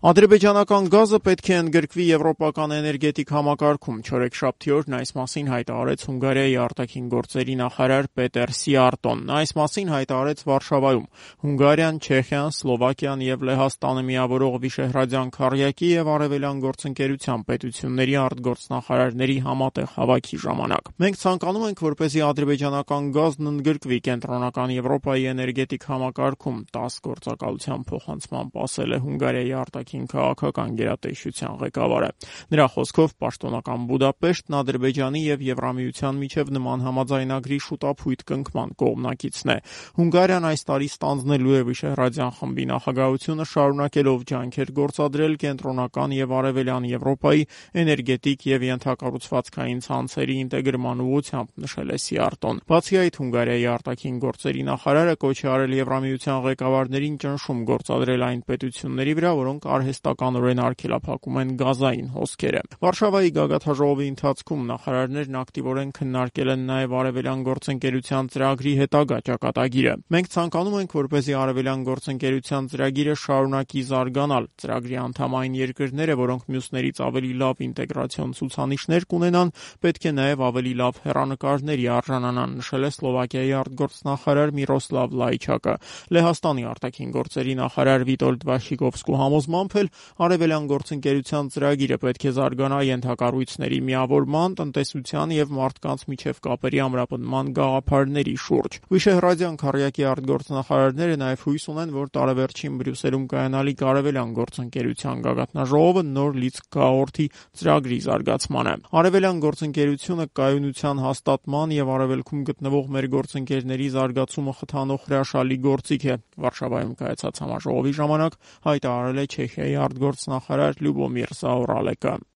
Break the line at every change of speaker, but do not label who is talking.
Ադրբեջանական գազը պետք է ընդգրկվի եվրոպական էներգետիկ համակարգում։ Չորեքշաբթի օրն այս մասին հայտարարեց Հունգարիայի արտաքին գործերի նախարար Պետեր Սիարտոն։ Նա այս մասին հայտարարեց Վարշավայում։ Հունգարիան, Չեխիան, Սլովակիան եւ Լեհաստանը միավորող Վիշեհրադյան քառյակի եւ Արևելյան գործընկերության պետությունների արտգործնախարարների համատեղ հավաքի ժամանակ։ Մենք ցանկանում ենք, որպեսզի ադրբեջանական գազն ընդգրկվի կենտրոնական Եվրոպայի էներգետիկ համակարգում, 10 գործակալության փոխանցմամբ ասել է Հունգարիայի արտաքին քաղաքական գերատեսչության ղեկավարը։ Նրա խոսքով պաշտոնական Բուդապեշտն Ադրբեջանի եւ Եվրամիության միջև նման համաձայնագրի շուտափույթ կնքման կողմնակիցն է։ Հունգարիան այս տարի ստանձնելու է Վիշեհրադյան խմբի նախագահությունը, շարունակելով ջանքեր գործադրել կենտրոնական եւ արևելյան Եվրոպայի էներգետիկ եւ ենթակառուցվածքային ցանցերի ինտեգրման ուղղությամբ, նշել է Սիարտոն։ Բացի այդ, Հունգարիայի արտաքին գործերի նախարարը կոչ է արել Եվրամիության ղեկավարներին ճնշում գործադրել այն պետությունների վրա, որոնք արհեստականորեն արգելափակում են գազային հոսքերը։ Վարշավայի գագաթնաժողովի ընթացքում նախարարներն ակտիվորեն քննարկել են նաև արևելյան գործընկերության ծրագրի հետագա ճակատագիրը։ Մենք ցանկանում ենք, որպեսզի արևելյան գործընկերության ծրագիրը շարունակի զարգանալ։ Ծրագրի անդամ այն երկրները, որոնք մյուսներից ավելի լավ ինտեգրացիոն ցուցանիշներ կունենան, պետք է նաև ավելի լավ հեռանկարների արժանանան, նշել է Սլովակիայի արտգործնախարար Միրոսլավ Լայչակը։ Լեհաստանի արտաքին գործերի նախարար Վիտոլդ Վաշիկովսկու համոզմամբ էլ արևելյան գործընկերության ծրագիրը պետք է զարգանա ենթակառույցների միավորման, տնտեսության եւ մարդկանց միջև կապերի ամրապնդման գաղափարների շուրջ։ Վիշեհրադյան քառյակի արտգործնախարարները նաև հույս ունեն, որ տարեվերջին Բրյուսելում կայանալիք արևելյան գործընկերության գագաթնաժողովը նոր լիցք կհաղորդի ծրագրի զարգացմանը։ Արևելյան գործընկերությունը կայունության հաստատման եւ արևելքում գտնվող մեր գործընկերների զարգացումը խթանող հրաշալի գործիք է։ Վարշավայում կայացած համաժողովի ժամանակ հայտարարել է Չեխիայի արտգործնախարար Լյուբոմիր Զաորալեկը։